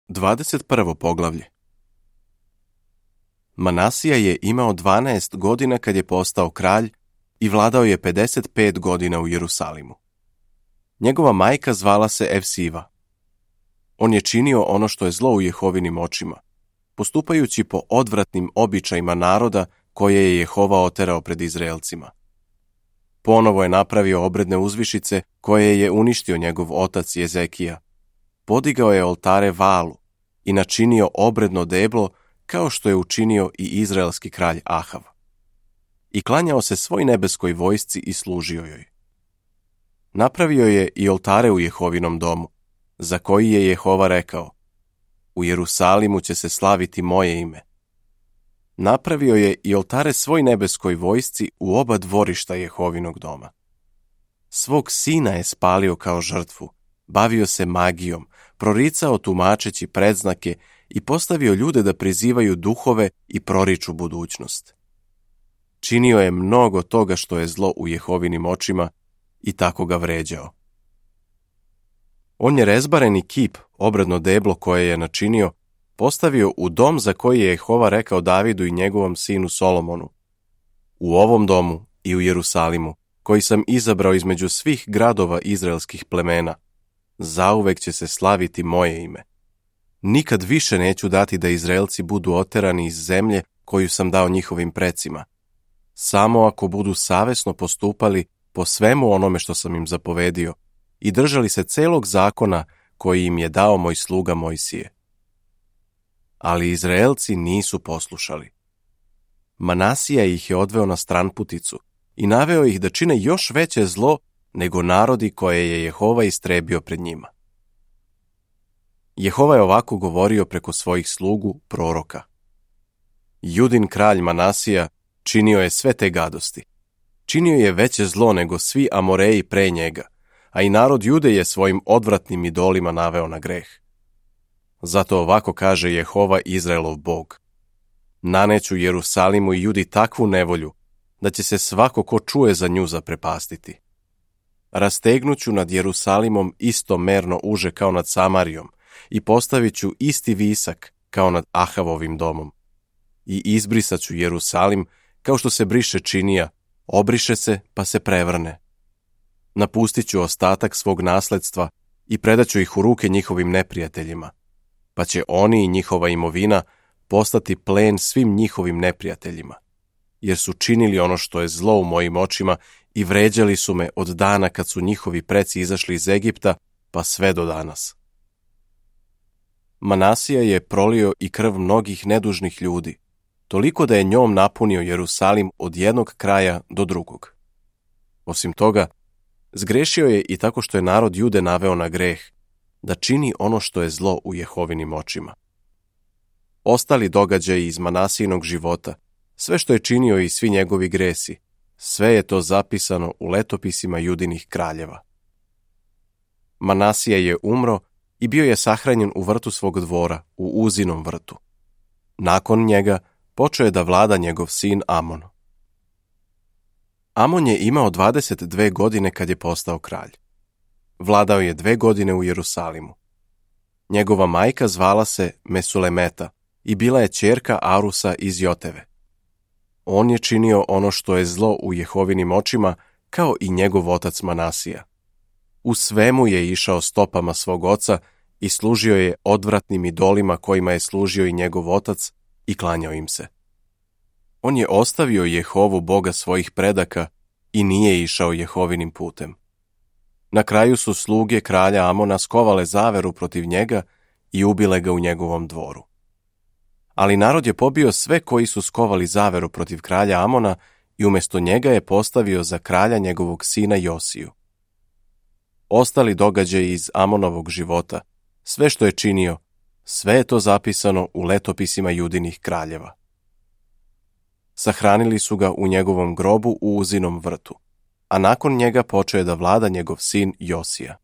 21. poglavlje. Manasija je imao 12 godina kad je postao kralj i vladao je 55 godina u Jerusalimu. Njegova majka zvala se Evsiva. On je činio ono što je zlo u Jehovinim očima, postupajući po odvratnim običajima naroda koje je Jehova oterao pred Izraelcima. Ponovo je napravio obredne uzvišice koje je uništio njegov otac Jezekija. Podigao je oltare Valu i načinio obredno deblo kao što je učinio i izraelski kralj Ahav. I klanjao se svoj nebeskoj vojsci i služio joj. Napravio je i oltare u Jehovinom domu, za koji je Jehova rekao: u Jerusalimu će se slaviti moje ime. Napravio je i oltare svoj nebeskoj vojsci u oba dvorišta Jehovinog doma. Svog sina je spalio kao žrtvu, bavio se magijom, proricao tumačeći predznake i postavio ljude da prizivaju duhove i proriču budućnost. Činio je mnogo toga što je zlo u Jehovinim očima i tako ga vređao. On je rezbareni kip, obredno deblo koje je načinio, postavio u dom za koji je Jehova rekao Davidu i njegovom sinu Solomonu: u ovom domu i u Jerusalimu, koji sam izabrao između svih gradova izraelskih plemena, zauvek će se slaviti moje ime. Nikad više neću dati da Izraelci budu oterani iz zemlje koju sam dao njihovim precima, samo ako budu savesno postupali po svemu onome što sam im zapovedio i držali se celog zakona koji im je dao moj sluga Mojsije. Ali Izraelci nisu poslušali. Manasija ih je odveo na stranputicu i naveo ih da čine još veće zlo nego narodi koje je Jehova istrebio pred njima. Jehova je ovako govorio preko svojih slugu, proroka: Judin kralj Manasija činio je sve te gadosti. Činio je veće zlo nego svi Amoreji pre njega, a i narod Jude je svojim odvratnim idolima naveo na greh. Zato ovako kaže Jehova Izraelov Bog: naneću Jerusalimu i Judi takvu nevolju da će se svako ko čuje za nju zaprepastiti. Rastegnuću nad Jerusalimom isto merno uže kao nad Samarijom i postavit ću isti visak kao nad Ahavovim domom. I izbrisat ću Jerusalim kao što se briše činija, obriše se pa se prevrne. Napustit ću ostatak svog nasledstva i predaću ih u ruke njihovim neprijateljima, pa će oni i njihova imovina postati plen svim njihovim neprijateljima, jer su činili ono što je zlo u mojim očima i vređali su me od dana kad su njihovi preci izašli iz Egipta pa sve do danas. Manasija je prolio i krv mnogih nedužnih ljudi, toliko da je njom napunio Jerusalim od jednog kraja do drugog. Osim toga, zgrešio je i tako što je narod Jude naveo na greh, da čini ono što je zlo u Jehovinim očima. Ostali događaji iz Manasijinog života, sve što je činio i svi njegovi gresi, sve je to zapisano u letopisima Judinih kraljeva. Manasija je umro i bio je sahranjen u vrtu svog dvora, u Uzinom vrtu. Nakon njega počeo je da vlada njegov sin Amon. Amon je imao 22 godine kad je postao kralj. Vladao je 2 godine u Jerusalimu. Njegova majka zvala se Mesulemeta i bila je ćerka Arusa iz Joteve. On je činio ono što je zlo u Jehovinim očima, kao i njegov otac Manasija. U svemu je išao stopama svog oca i služio je odvratnim idolima kojima je služio i njegov otac i klanjao im se. On je ostavio Jehovu Boga svojih predaka i nije išao Jehovinim putem. Na kraju su sluge kralja Amona skovale zaveru protiv njega i ubile ga u njegovom dvoru. Ali narod je pobio sve koji su skovali zaveru protiv kralja Amona i umjesto njega je postavio za kralja njegovog sina Josiju. Ostali događaji iz Amonovog života, sve što je činio, sve je to zapisano u letopisima Judinih kraljeva. Sahranili su ga u njegovom grobu u Uzinom vrtu, a nakon njega počeo je da vlada njegov sin Josija.